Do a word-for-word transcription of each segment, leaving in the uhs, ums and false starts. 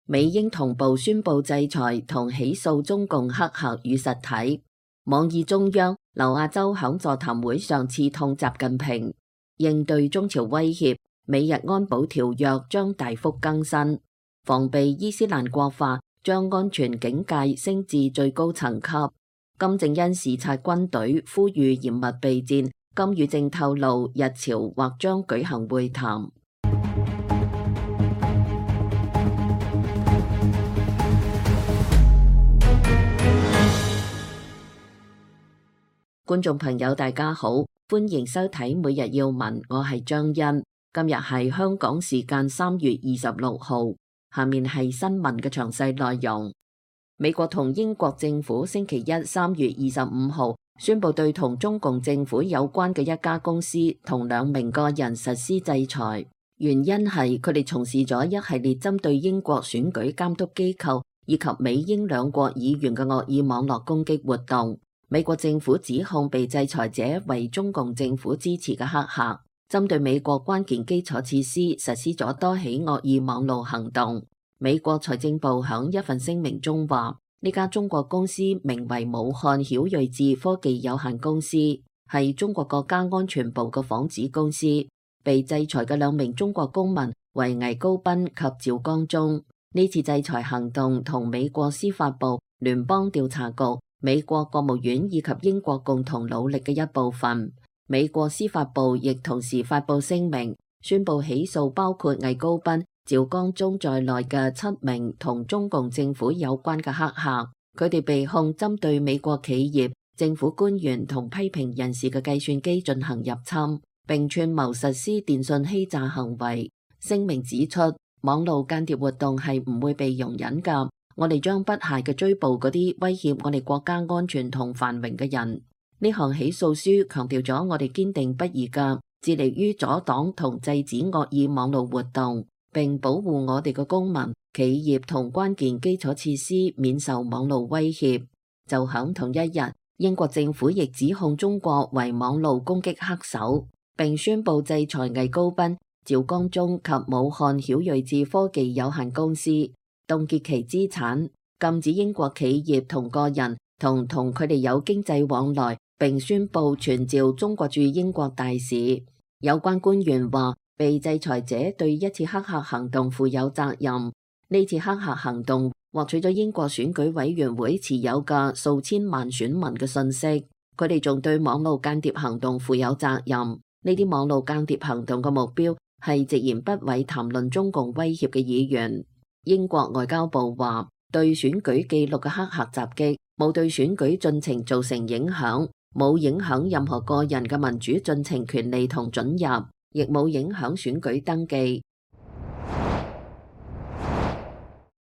美英同步宣布制裁同起訴中共黑客與實體。網易中央，劉亞洲響座談會上刺痛習近平，應對中朝威脅，美日安保條約將大幅更新，防備伊斯蘭國化，將安全警戒升至最高層級。金正恩視察軍隊，呼籲嚴密備戰。金與正透露，日朝或將舉行會談。觀眾朋友大家好，歡迎收睇每日要聞，我係張欣。今日係香港時間三月二十六號，下面係新聞嘅詳細內容。美國同英國政府星期一三月二十五號宣布對同中共政府有關嘅一家公司同兩名個人實施制裁，原因係佢哋從事咗一系列針對英國選舉監督機構以及美英兩國議員嘅惡意網絡攻擊活動。美國政府指控被制裁者為中共政府支持嘅黑客，針對美國關鍵基礎設施實施咗多起惡意網路行動。美國財政部響一份聲明中話，呢家中國公司名為武漢曉睿智科技有限公司，係中國國家安全部嘅仿子公司。被制裁嘅兩名中國公民為魏高斌及趙光宗。呢次制裁行動同美國司法部、聯邦調查局、美國國務院以及英國共同努力嘅一部分。美國司法部亦同時發布聲明，宣布起訴包括魏高斌、趙光宗在內嘅七名同中共政府有關嘅黑客，佢哋被控針對美國企業、政府官員同批評人士嘅計算機進行入侵，並串謀實施電信欺詐行為。聲明指出，網絡間諜活動係唔會被容忍㗎。我哋將不懈嘅追捕嗰啲威脅我哋國家安全同繁榮嘅人。呢項起訴書強調咗我哋堅定不移嘅致力於阻擋同制止惡意網絡活動，並保護我哋嘅公民、企業同關鍵基礎設施免受網絡威脅。就響同一日，英國政府亦指控中國為網絡攻擊黑手，並宣布制裁魏高斌、趙光宗及武漢曉睿智科技有限公司，凍結其資產，禁止英國企業同個人同同佢哋有經濟往來，並宣布傳召中國駐英國大使。有關官員話，被制裁者對一次黑客行動負有責任。呢次黑客行動獲取咗英國選舉委員會持有嘅數千萬選民嘅信息，佢哋仲對網絡間諜行動負有責任。呢啲網絡間諜行動嘅目標係直言不諱談論中共威脅嘅議員。英國外交部話，對選舉記錄嘅黑客襲擊冇對選舉進程造成影響，冇影響任何個人嘅民主進程權利同准入，亦冇影響選舉登記。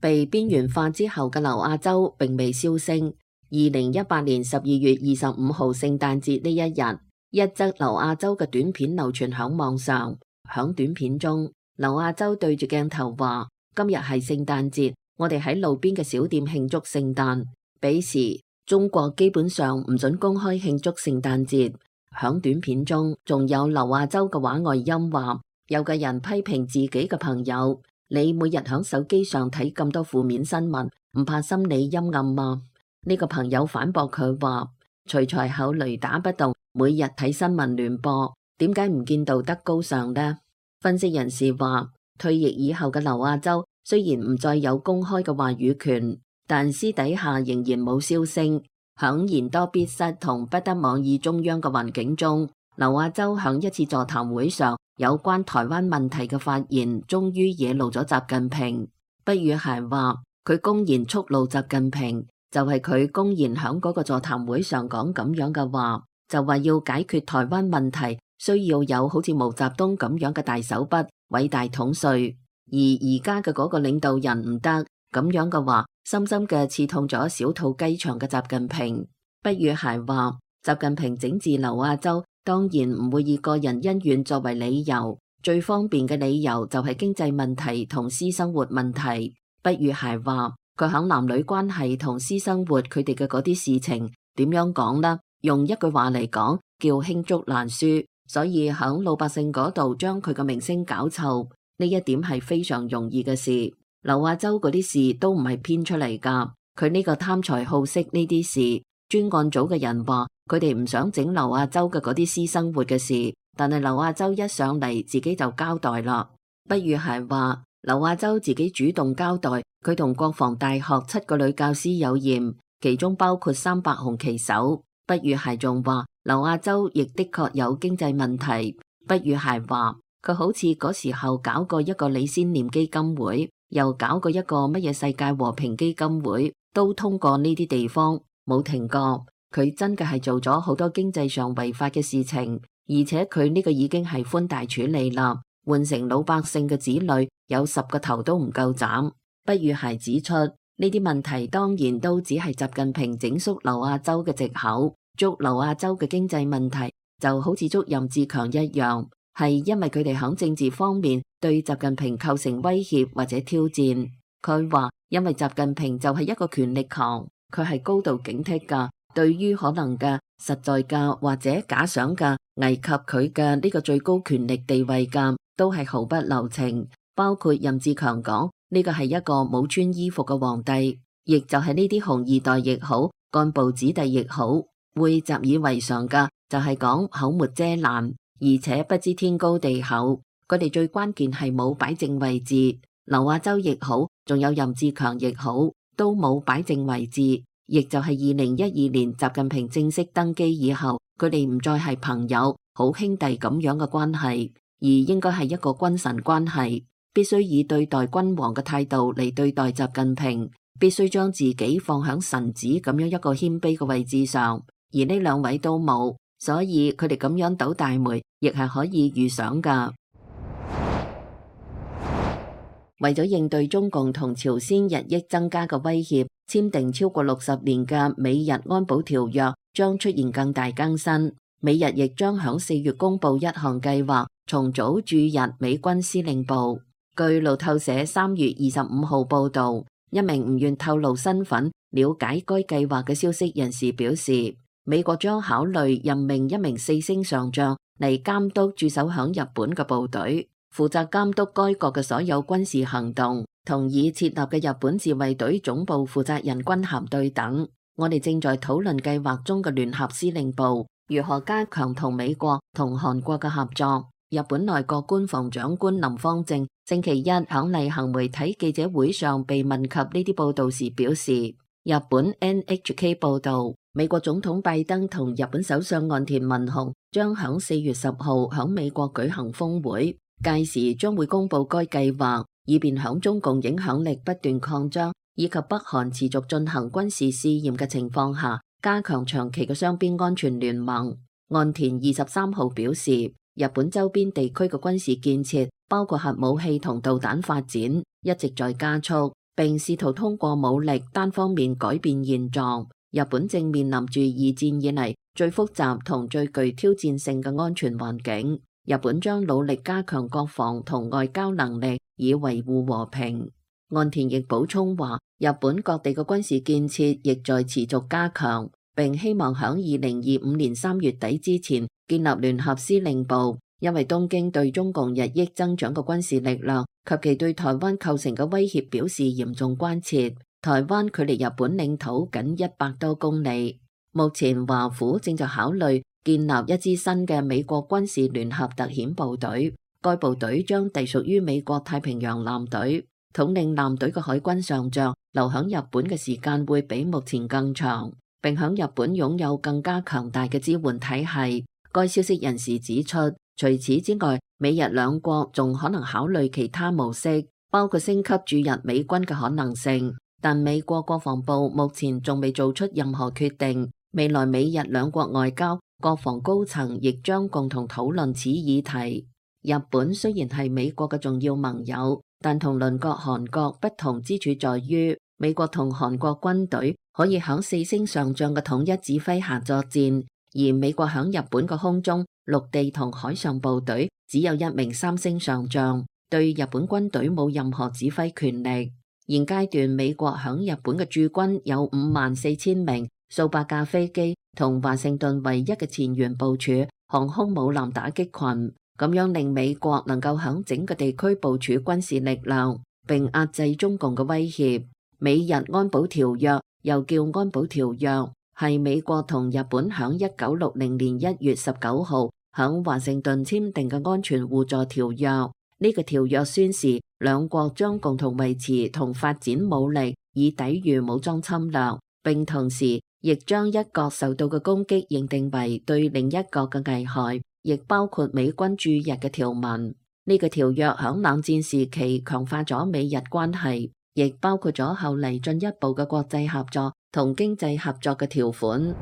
被邊緣化之後嘅劉亞洲並未銷聲。二零一八年十二月二十五號聖誕節呢一日，一則劉亞洲嘅短片流傳響網上。響短片中，劉亞洲對住鏡頭話，今日係聖誕節，我哋喺路邊嘅小店慶祝聖誕。彼時中國基本上唔准公開慶祝聖誕節。響短片中仲有劉亞洲嘅話外音話，有個人批評自己嘅朋友，你每日響手機上睇咁多負面新聞，唔怕心理陰暗嗎？呢個朋友反駁佢話，徐才厚雷打不動，每日睇新聞聯播，點解唔見道德高尚呢？分析人士話，退役以後嘅劉亞洲雖然唔再有公開嘅話語權，但私底下仍然冇銷聲。響言多必失同不得妄議中央嘅環境中，劉亞洲響一次座談會上有關台灣問題嘅發言，終於惹怒咗習近平。不與諧話，佢公然觸怒習近平，就係、是、佢公然響嗰個座談會上講咁樣嘅話，就話要解決台灣問題，需要有好似毛澤東咁樣嘅大手筆、偉大統帥。而而家嘅嗰個領導人唔得，咁樣嘅話，深深嘅刺痛咗小肚雞腸嘅習近平。不與諧話，習近平整治劉亞洲，當然唔會以個人恩怨作為理由，最方便嘅理由就係經濟問題同私生活問題。不與諧話，佢響男女關係同私生活佢哋嘅嗰啲事情點樣講呢？用一句話嚟講，叫罄竹難書。所以響老百姓嗰度將佢嘅名聲搞臭，呢一點係非常容易嘅事。劉亞洲嗰啲事都唔係編出嚟㗎，佢呢個貪財好色呢啲事，專案組嘅人話佢哋唔想整劉亞洲嘅嗰啲私生活嘅事，但係劉亞洲一上嚟自己就交代啦。不如係話劉亞洲自己主動交代，佢同國防大學七個女教師有嫌，其中包括三百紅旗手。不如係仲話劉亞洲亦的確有經濟問題。不如係話佢好似嗰時候搞過一個李先念基金會，又搞過一個乜嘢世界和平基金會，都通過呢啲地方冇停過。佢真嘅係做咗好多經濟上違法嘅事情，而且佢呢個已經係寬大處理啦，換成老百姓嘅子女有十個頭都唔夠斬。不如係指出呢啲問題當然都只係習近平整肅劉亞洲嘅藉口，捉劉亞洲嘅經濟問題就好似捉任志強一樣，係因為佢哋喺政治方面對習近平構成威脅或者挑戰。佢話因為習近平就係一個權力狂，佢係高度警惕噶，對於可能嘅實在嘅或者假想嘅危及佢嘅呢個最高權力地位嘅，都係毫不留情。包括任志強講呢個係一個冇穿衣服嘅皇帝，亦就係呢啲紅二代亦好，幹部子弟亦好，會習以為常嘅就係講口沒遮攔，而且不知天高地厚。佢哋最關鍵係冇擺正位置，劉亞洲亦好，仲有任志強亦好，都冇擺正位置。亦就係二零一二年習近平正式登基以後，佢哋唔再係朋友好兄弟咁樣嘅關係，而應該係一個君臣關係，必須以對待君王嘅態度嚟對待習近平，必須將自己放響臣子咁樣一個謙卑嘅位置上，而呢兩位都冇，所以佢哋咁樣倒大霉亦係可以預想噶。為咗應對中共同朝鮮日益增加嘅威脅，簽訂超過六十年嘅美日安保條約將出現更大更新。美日亦將響四月公布一項計劃，重組駐日美軍司令部。據路透社三月二十五號報道，一名唔願透露身份、了解該計劃嘅消息人士表示，美國將考慮任命一名四星上將嚟監督駐守響日本嘅部隊，負責監督該國嘅所有軍事行動，同已設立嘅日本自衛隊總部負責人軍銜對等。我哋正在討論計劃中嘅聯合司令部如何加強同美國同韓國嘅合作。日本內閣官房長官林芳正星期一響例行媒體記者會上被問及呢啲報道時表示，日本 N H K 報道，美國總統拜登同日本首相岸田文雄將響四月十號響美國舉行峰會，屆時將會公布該計劃，以便響中共影響力不斷擴張以及北韓持續進行軍事試驗嘅情況下，加強長期嘅雙邊安全聯盟。岸田二十三號表示，日本周邊地區嘅軍事建設，包括核武器同導彈發展，一直在加速，並試圖通過武力單方面改變現狀。日本正面臨住二戰以嚟最複雜同最具挑戰性嘅安全環境。日本將努力加強國防同外交能力，以維護和平。岸田亦補充話，日本各地嘅軍事建設亦在持續加強，並希望響二零二五年三月底之前建立聯合司令部，因為東京對中共日益增長嘅軍事力量及其對台灣構成嘅威脅表示嚴重關切。台灣距離日本領土僅一百多公里，目前華府正在考慮建立一支新嘅美國軍事聯合特遣部隊，該部隊將隸屬於美國太平洋艦隊，統領艦隊嘅海軍上將留響日本嘅時間會比目前更長，並響日本擁有更加強大嘅支援體系。該消息人士指出，除此之外，美日兩國仲可能考慮其他模式，包括升級駐日美軍嘅可能性。但美國國防部目前仲未做出任何決定。未來美日兩國外交、國防高層亦將共同討論此議題。日本雖然係美國嘅重要盟友，但同鄰國韓國不同之處在於，美國同韓國軍隊可以響四星上將嘅統一指揮下作戰，而美國響日本嘅空中、陸地同海上部隊只有一名三星上將，對日本軍隊冇任何指揮權力。現階段美國響日本嘅駐軍有五萬四千名，數百架飛機同華盛頓唯一嘅前沿部署航空母艦打擊群，咁樣令美國能夠響整個地區部署軍事力量。並壓制中共嘅威脅。美日安保條約又叫安保條約，係美國同日本響一九六零年一月十九號響華盛頓簽訂嘅安全互助條約。呢個條約宣示兩國將共同維持同發展武力，以抵禦武裝侵略，並同時亦將一國受到嘅攻擊認定為對另一國嘅危害，亦包括美軍駐日嘅條文。呢個條約響冷戰時期強化咗美日關係，亦包括咗後嚟進一步嘅國際合作同經濟合作嘅條款。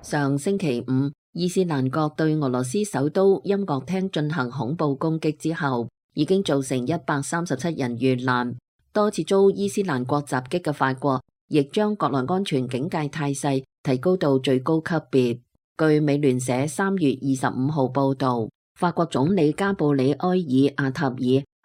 上星期五，伊斯蘭國對俄羅斯首都音樂廳進行恐怖攻擊之後，已經造成一百三十七人遇難。多次遭伊斯蘭國襲擊嘅法國，亦將國內安全警戒態勢提高到最高級別。據美聯社三月二十五號報導，法國總理加布里埃爾阿塔爾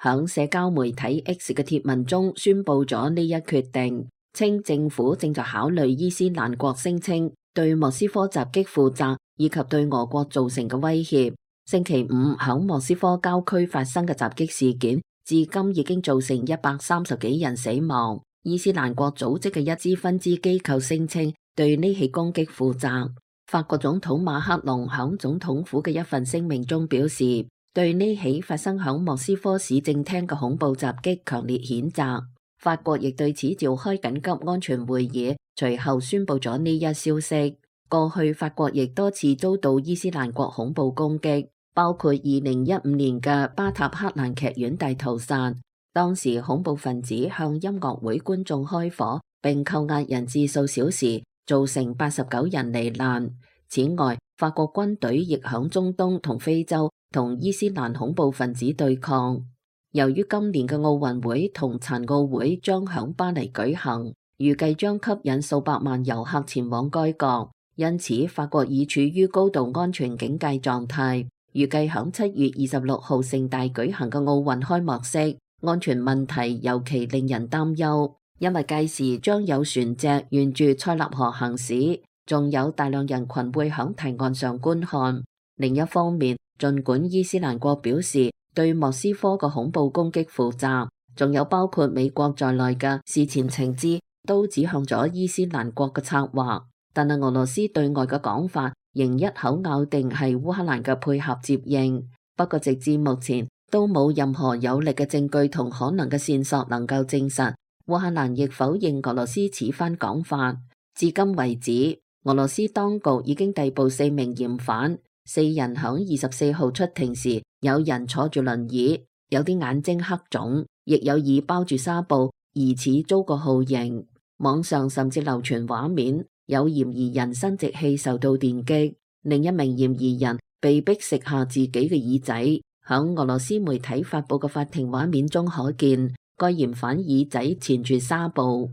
響社交媒體 X 嘅貼文中宣布咗呢一決定，稱政府正在考慮伊斯蘭國聲稱對莫斯科襲擊負責以及對俄國造成嘅威脅。星期五響莫斯科郊區發生嘅襲擊事件，至今已經造成一百三十幾人死亡。伊斯蘭國組織嘅一支分支機構聲稱對呢起攻擊負責。法國總統馬克龍響總統府嘅一份聲明中表示，對呢起發生響莫斯科市政廳嘅恐怖襲擊強烈譴責。法國亦對此召開緊急安全會議，隨後宣布咗呢一消息。過去法國亦多次遭到伊斯蘭國恐怖攻擊，包括二零一五年嘅巴塔克蘭劇院大屠殺，當時恐怖分子向音樂會觀眾開火，並扣押人質數小時，造成八十九人罹難。此外，法國軍隊亦響中東同非洲同伊斯蘭恐怖分子對抗。由於今年嘅奧運會同殘奧會將響巴黎舉行，預計將吸引數百萬遊客前往該國，因此法國已處於高度安全警戒狀態。預計響七月二十六號盛大舉行嘅奧運開幕式，安全問題尤其令人擔憂，因為屆時將有船隻沿住塞納河行駛，仲有大量人群會響堤岸上觀看。另一方面，儘管伊斯蘭國表示對莫斯科嘅恐怖攻擊負責，仲有包括美國在內嘅事前情資都指向咗伊斯蘭國嘅策劃，但係俄羅斯對外嘅講法仍一口咬定係烏克蘭嘅配合接應。不過直至目前都冇任何有力嘅證據同可能嘅線索能夠證實。烏克蘭亦否認俄羅斯此番講法。至今為止，俄羅斯當局已經逮捕四名嫌犯，四人響二十四號出庭時，有人坐住輪椅，有啲眼睛黑腫，亦有耳包住紗布，疑似遭過酷刑。網上甚至流傳畫面，有嫌疑人生殖器受到電擊，另一名嫌疑人被逼食下自己嘅耳仔。響俄羅斯媒體發佈嘅法庭畫面中可見，該嫌犯耳仔纏住紗布。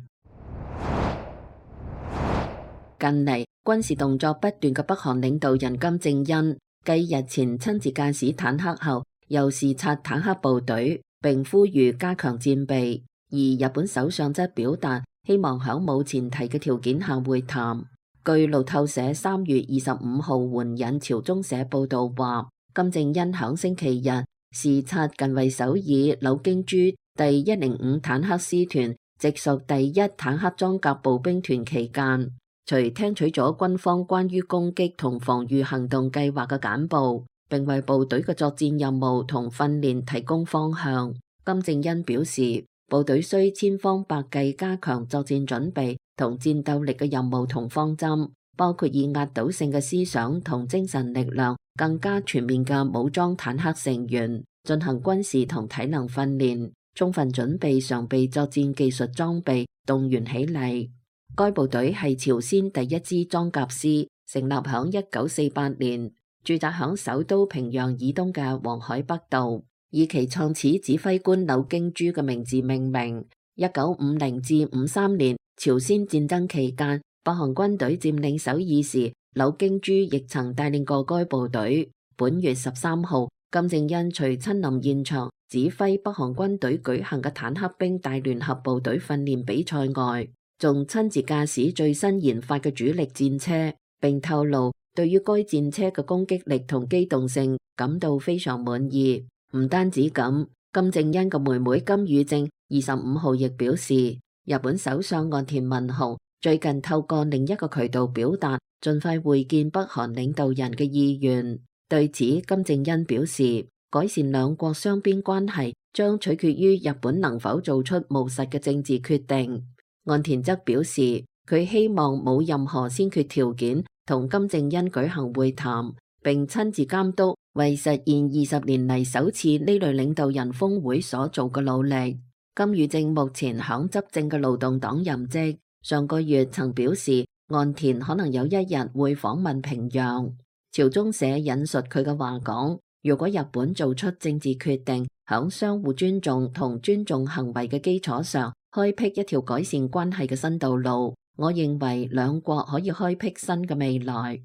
近嚟軍事動作不斷嘅北韓領導人金正恩，繼日前親自駕駛坦克後，又視察坦克部隊，並呼籲加強戰備。而日本首相則表達希望響冇前提嘅條件下會談。據路透社三月二十五號援引朝中社報道話，金正恩響星期日視察近衛首爾柳京珠第一零五坦克師團直屬第一坦克裝甲步兵團期間，除聽取咗軍方關於攻擊同防禦行動計劃嘅簡報，並為部隊嘅作戰任務同訓練提供方向。金正恩表示，部隊需千方百計加強作戰準備同戰鬥力嘅任務同方針，包括以壓倒性嘅思想同精神力量，更加全面嘅武裝坦克成員，進行軍事同體能訓練，充分準備常備作戰技術裝備，動員起嚟。該部隊係朝鮮第一支裝甲師，成立響一九四八年，駐紮響首都平壤以東嘅黃海北道，以其創始指揮官柳京珠嘅名字命名。一九五零至五三年朝鮮戰爭期間，北韓軍隊佔領首爾時，柳京珠亦曾帶領過該部隊。本月十三號，金正恩除親臨現場指揮北韓軍隊舉行嘅坦克兵大聯合部隊訓練比賽外，仲親自駕駛最新研發嘅主力戰車，並透露對於該戰車嘅攻擊力同機動性感到非常滿意。唔單止咁，金正恩嘅妹妹金與正二十五號亦表示，日本首相岸田文雄最近透過另一個渠道表達盡快會見北韓領導人嘅意願。對此，金正恩表示，改善兩國雙邊關係將取決於日本能否做出務實嘅政治決定。岸田則表示，佢希望冇任何先決條件同金正恩舉行會談，並親自監督為實現二十年嚟首次呢類領導人峰會所做嘅努力。金與正目前響執政嘅勞動黨任職，上個月曾表示岸田可能有一日會訪問平壤。朝中社引述佢嘅話講，如果日本做出政治決定，響相互尊重同尊重行為嘅基礎上，開闢一條改善關係嘅新道路，我認為兩國可以開闢新嘅未來。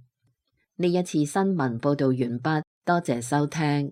呢一次新聞報道完畢，多謝收聽。